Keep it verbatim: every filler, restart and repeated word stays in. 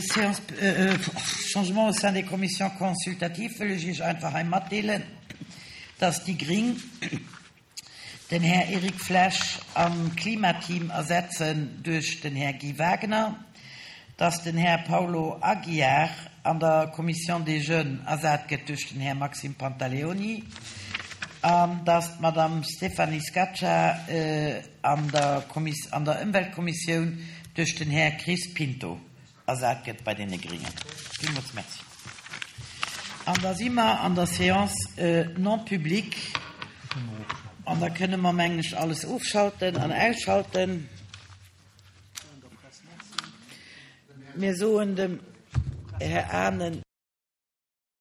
Séance, Changement au sein des commissions consultatives wëll ech Iech einfach hei matdeelen, dass déi Gring den Här Eric Flesch am Klimateam ersetzen duerch den Här Guy Wagner, dass den Här Paulo Aguiar an der Commission des Jeunes ersat gëtt duerch den Här Maxime Pantaleoni an dass d'Madame Stéphanie Scaccia an der an der Ëmweltkommissioun duerch den Här Chris Pinto ersat gëtt bei deene Gringen. Villmools Merci. An da si mer an der Séance non publique an da kënne mer, mengen ech, alles ofschalten an ausschalten. Mir soen dem Här Anen.